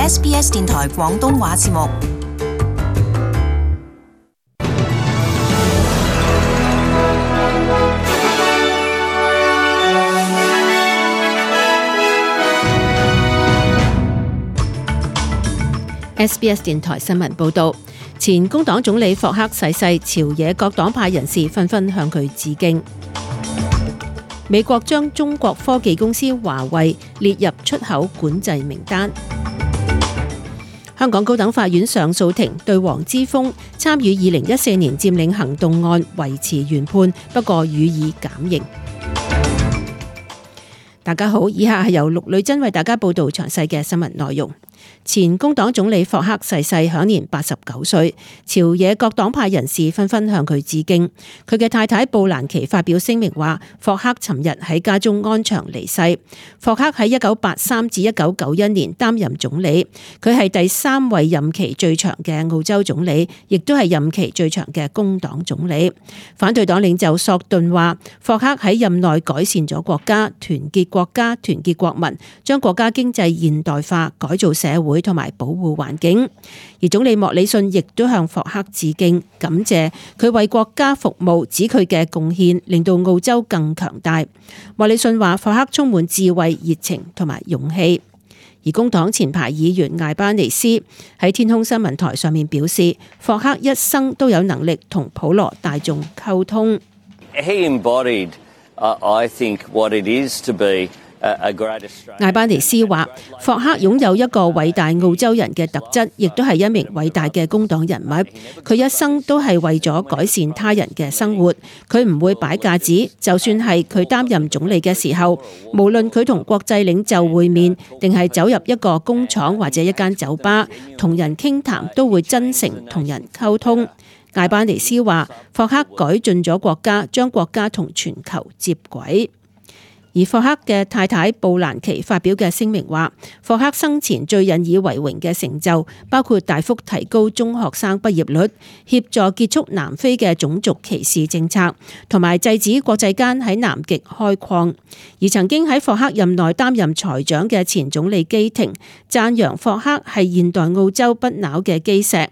SBS 電台廣東話節目。SBS 電台新聞報導，前工黨總理霍克逝世，朝野各黨派人士紛紛向佢致敬。美國將中國科技公司華為列入出口管制名單。香港高等法院上訴庭對黃之鋒參與2014年佔領行動案維持原判，不過予以減刑。大家好，以下係由陸女珍為大家報道詳細嘅新聞內容。前工黨總理霍克逝世，享年89歲，朝野各黨派人士紛紛向佢致敬。佢嘅太太布蘭琪發表聲明話，霍克尋日喺家中安詳離世。霍克喺1983至1991年擔任總理，佢係第3位任期最長嘅澳洲總理，亦都係任期最長嘅工黨總理。反對黨領袖索頓話，霍克喺任內改善咗國家，團結國家，團結國民，將國家經濟現代化，改造社會同埋保護環境。而總理莫里遜亦都向霍克致敬，感謝佢為國家服務，指佢嘅貢獻令到澳洲更強大。莫里遜話霍克充滿智慧、熱情同埋勇氣。而工黨前排議員艾巴尼斯喺天空新聞台上面表示，霍克一生都有能力同普羅大眾溝通。He embodied, I think, what it is to be艾巴尼斯話，霍克擁有一個偉大澳洲人嘅特質，亦都係一名偉大嘅工黨人物。佢一生都係為咗改善他人嘅生活，佢唔會擺架子。就算係佢擔任總理嘅時候，無論佢同國際領袖會面，定係走入一個工廠或者一間酒吧，同人傾談都會真誠同人溝通。艾巴尼斯話，霍克改進咗國家，將國家同全球接軌。而霍克嘅太太布蘭琪發表嘅聲明話，霍克生前最引以為榮嘅成就包括大幅提高中學生畢業率、協助結束南非嘅種族歧視政策，同埋制止國際間喺南極開礦。而曾經喺霍克任內擔任財長嘅前總理基廷讚揚霍克係現代澳洲不朽嘅基石。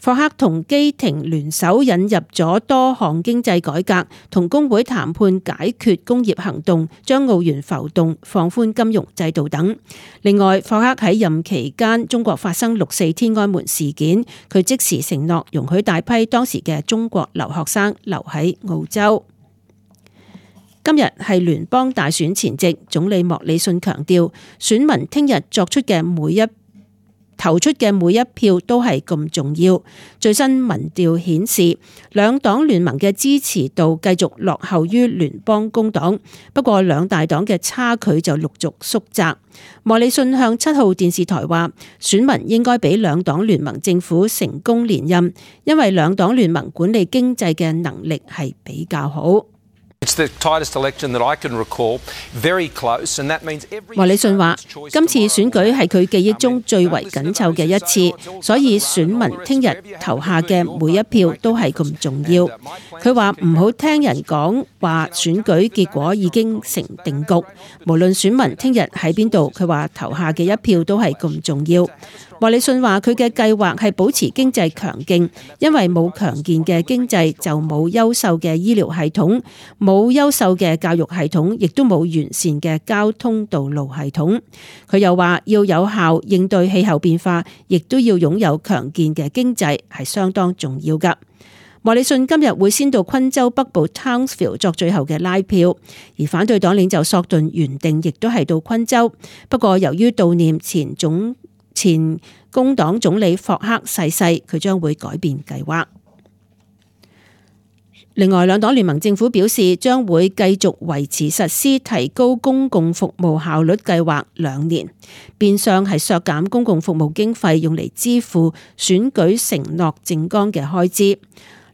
霍克同基廷聯手引入咗多項經濟改革，同工會談判解決工業行動，將澳元浮動，放寬金融制度等。另外，霍克喺任期間，中國發生6·4天安門事件，佢即時承諾容許大批當時嘅中國留學生留喺澳洲。今日係聯邦大選前夕，總理莫里遜強調，選民聽日投出嘅每一票都係咁重要。最新民調顯示，兩黨聯盟嘅支持度繼續落後於聯邦工黨，不過兩大黨嘅差距就陸續縮窄。莫里遜向7號電視台話，選民應該俾兩黨聯盟政府成功連任，因為兩黨聯盟管理經濟嘅能力係比較好。莫里遜話，今次選舉係佢記憶中最為緊湊嘅一次，所以選民聽日投下嘅每一票都係咁重要。佢話唔好聽人講話選舉結果已經成定局，無論選民聽日喺邊度，佢話投下嘅一票都係咁重要。莫里遜話佢嘅計劃係保持經濟強勁，因為冇強健嘅經濟就冇優秀嘅醫療系統，冇優秀嘅教育系統，亦都冇完善嘅交通道路系統。佢又話要有效應對氣候變化，亦都要擁有強健嘅經濟，係相當重要㗎。莫里遜今日會先到昆州北部 Townsville 作最後嘅拉票，而反對黨領袖索頓原定亦都係到昆州，不過由於悼念前工黨總理霍克逝世，佢將會改變計劃。另外，兩黨聯盟政府表示將會繼續維持實施提高公共服務效率計劃2年，變相係削減公共服務經費用嚟支付選舉承諾政綱嘅開支。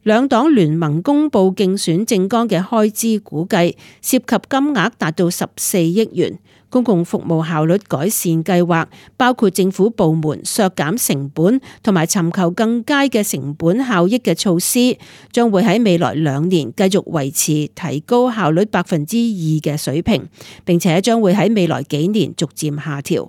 兩黨聯盟公布競選政綱嘅開支估計，涉及金額達到14億元。公共服務效率改善計劃包括政府部門削減成本同埋尋求更佳嘅成本效益嘅措施，將會喺未來2年繼續維持提高效率2%嘅水平，並且將會喺未來幾年逐漸下調。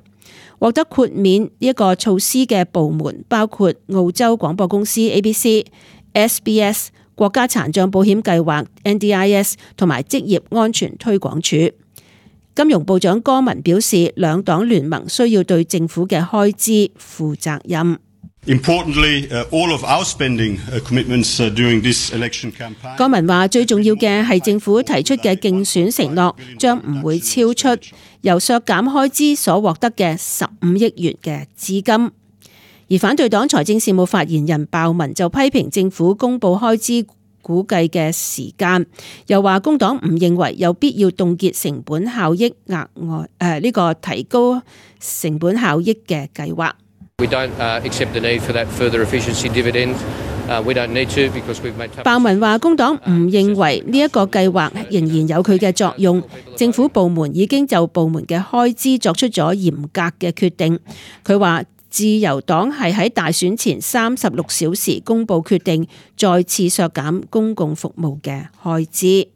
獲得豁免呢一個措施嘅部門包括澳洲廣播公司 ABC、SBS、國家殘障保險計劃 NDIS 同埋職業安全推廣署。金融部長柯文表示，兩黨聯盟需要對政府嘅開支負責任。Importantly, all of our spending commitments during this election campaign. 柯文話：最重要嘅係政府提出嘅競選承諾將唔會超出由削減開支所獲得嘅15億元嘅資金。而反對黨財政事務發言人鮑文就批評政府公布開支估計嘅時間，又話工黨唔認為有必要凍結成本效益額外呢個提高成本效益嘅計劃。We don't accept the need for that further efficiency dividend. We don't need to because we've made tough. 鮑文話：工黨唔認為呢一個計劃仍然有佢嘅作用，政府部門已經就部門嘅開支作出咗嚴格嘅決定。佢話自由黨係喺大選前36小時公佈決定，再次削減公共服務嘅開支。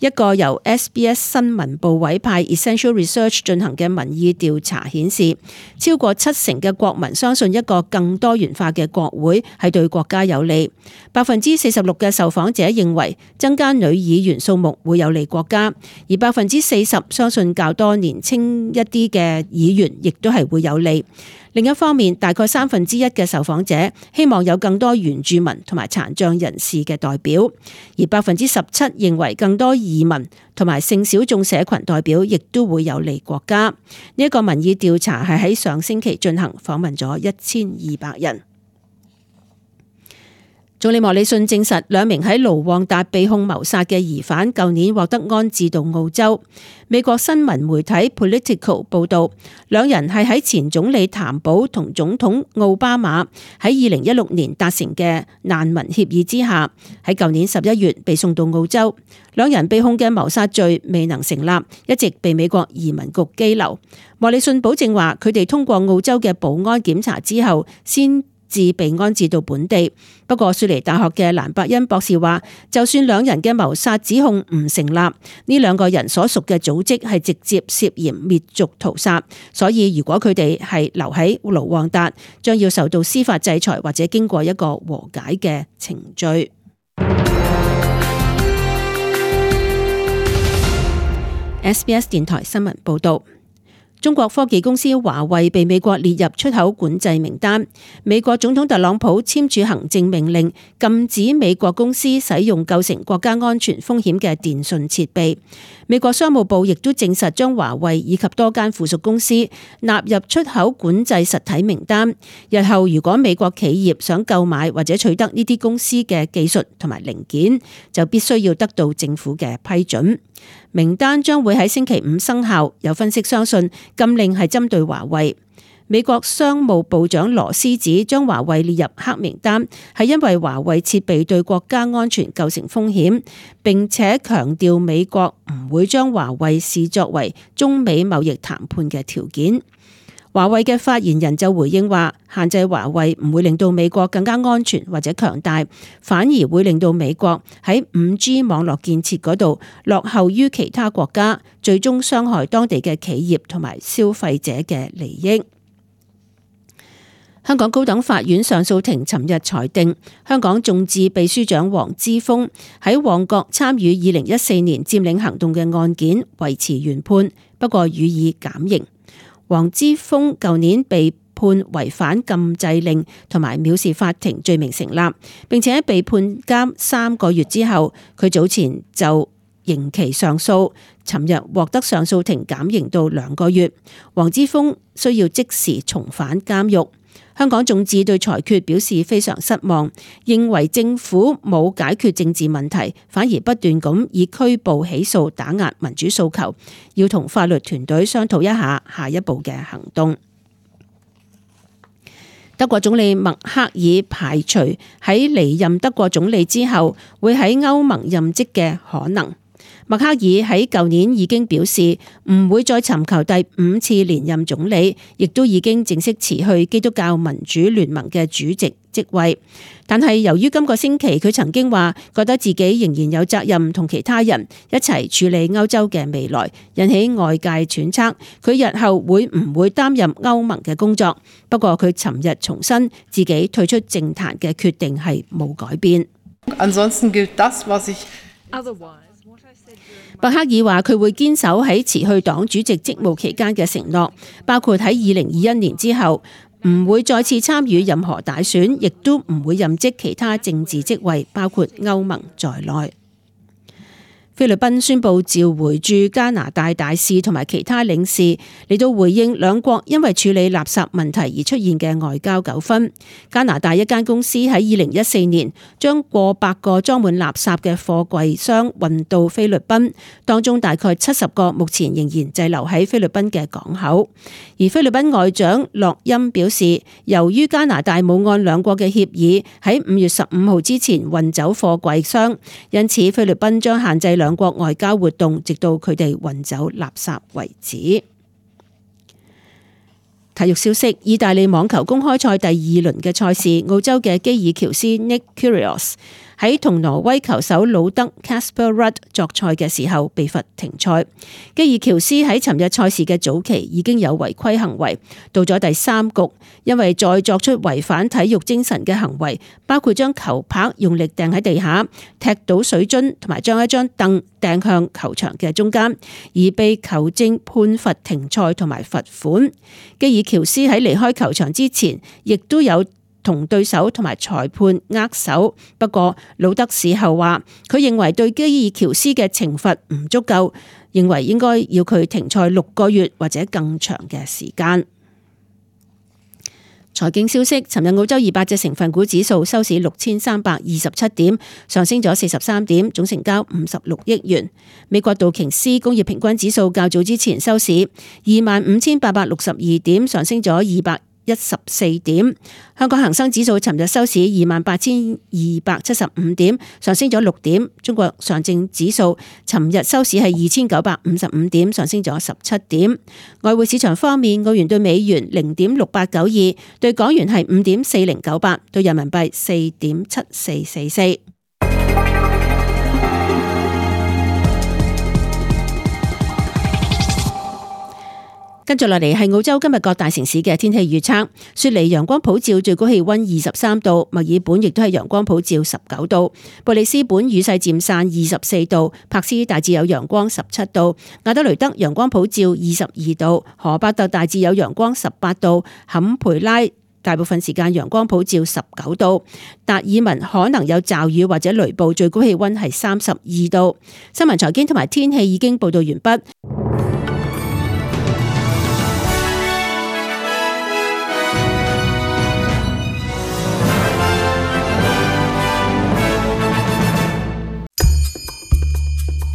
一個由 SBS 新聞部委派 Essential Research 進行嘅民意調查顯示，超過70%嘅國民相信一個更多元化嘅國會係對國家有利。46%嘅受訪者認為增加女議員數目會有利國家，而40%相信較多年輕一啲嘅議員亦都係會有利。另一方面，大概1/3嘅受訪者希望有更多原住民同埋殘障人士嘅代表，而17%認為更多移民同埋性小眾社群代表亦都會有利國家。呢一個民意調查係喺上星期進行，訪問咗1200人。總理莫里遜證實兩名喺盧旺達被控謀殺嘅疑犯舊年獲得安置到澳洲。美國新聞媒體 Politico 報道，兩人係喺前總理譚寶同總統奧巴馬喺2016年達成嘅難民協議之下，喺舊年11月被送到澳洲。兩人被控嘅謀殺罪未能成立，一直被美國移民局羈留。莫里遜保證話，佢哋通過澳洲嘅保安檢查之後先至被安置到本地。不過雪梨大學嘅蘭伯恩博士話，就算兩人嘅謀殺指控唔成立，呢兩個人所屬嘅組織係直接涉嫌滅族屠殺，所以如果佢哋係留喺盧旺達，將要受到司法制裁或者經過一個和解嘅程序。SBS 電台新聞報道。中國科技公司華為被美國列入出口管制名單。美國總統特朗普簽署行政命令，禁止美國公司使用構成國家安全風險嘅電訊設備。美國商務部亦都證實將華為以及多間附屬公司納入出口管制實體名單。日後如果美國企業想購買或者取得呢啲公司嘅技術同埋零件，就必須要得到政府嘅批准。名單將會喺星期5生效，有分析相信禁令係針對華為。美國商務部長羅斯指將華為列入黑名單，係因為華為設備對國家安全構成風險，並且強調美國唔會將華為視作為中美貿易談判嘅條件。華為嘅發言人就回應話，限制華為唔會令到美國更加安全或者強大，反而會令到美國喺5G 網絡建設嗰度落後於其他國家，最終傷害當地嘅企業同埋消費者嘅利益。香港高等法院上訴庭尋日裁定，香港眾志秘書長黃之鋒喺旺角參與2014年佔領行動嘅案件維持原判，不過予以減刑。黃之鋒舊年被判違反禁制令同埋藐視法庭罪名成立，並且被判監3個月之後，佢早前就刑期上訴，尋日獲得上訴庭減刑到2個月。黃之鋒需要即時重返監獄。香港眾志對裁決表示非常失望，認為政府冇解決政治問題，反而不斷咁以拘捕起訴打壓民主訴求，要同法律團隊商討一下下一步嘅行動。德國總理默克爾排除喺離任德國總理之後會喺歐盟任職嘅可能。默克爾喺舊年已經表示唔會再尋求第5次連任總理，亦都已經正式辭去基督教民主聯盟嘅主席職位。但係由於今個星期佢曾經話覺得自己仍然有責任同其他人一齊處理歐洲嘅未來，引起外界揣測佢日後會唔會擔任歐盟嘅工作。不過佢尋日重申自己退出政壇嘅決定係冇改變。伯克爾話佢會堅守喺辭去黨主席職務期間嘅承諾，包括喺2021年之後唔會再次參與任何大選，亦都唔會任職其他政治職位，包括歐盟在內。菲律賓宣布召回駐加拿大大使同埋其他領事，嚟到回應兩國因為處理垃圾問題而出現嘅外交糾紛。加拿大一間公司喺2014年將過百個裝滿垃圾嘅貨櫃箱運到菲律賓，當中大概70個目前仍然滯留喺菲律賓嘅港口。而菲律賓外長洛欽表示，由於加拿大冇按兩國嘅協議喺5月15號之前運走貨櫃箱，因此菲律賓將限制兩國外交活動，直到佢哋運走垃圾為止。體育消息：意大利網球公開賽第2輪嘅賽事，澳洲嘅基爾喬斯 Nick Kyrgios 喺同挪威球手魯德 Casper Ruud 作賽嘅時候被罰停賽。基爾喬斯喺尋日賽事嘅早期已經有違規行為，到咗第3局，因為再作出違反體育精神嘅行為，包括將球拍用力掟喺地下、踢倒水樽同埋將一張凳掟向球場嘅中間，而被球證判罰停賽同埋罰款。基爾喬斯喺離開球場之前，亦都有同對手同埋裁判握手，不過魯德事後話佢認為對基爾喬斯嘅懲罰唔足夠，認為應該要佢停賽6個月或者更長嘅時間。財經消息：尋日澳洲200隻成分股指數收市6327點，上升咗43點，總成交56億元。美國道瓊斯工業平均指數較早之前收市25,862點，上升咗214點。香港恒生指數尋日收市28,275點，上升咗6點。中國上證指數尋日收市係2,955點，上升咗17點。外匯市場方面，澳元對美元0.6892，對港元係5.4098，對人民幣4.7444。跟住落嚟係澳洲今日各大城市嘅天氣預測。雪梨陽光普照，最高氣溫23度；墨爾本亦都係陽光普照19度；布里斯本雨勢漸散24度；柏斯大致有陽光17度；亞德雷德陽光普照22度；荷伯特大致有陽光18度；坎培拉大部分時間陽光普照19度；達爾文可能有驟雨或者雷暴，最高氣溫係32度。新聞財經同埋天氣已經報道完畢。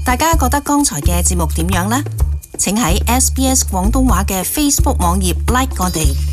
大家覺得剛才嘅節目點樣呢？請喺SBS 廣東話嘅 Facebook 網頁 like 我哋。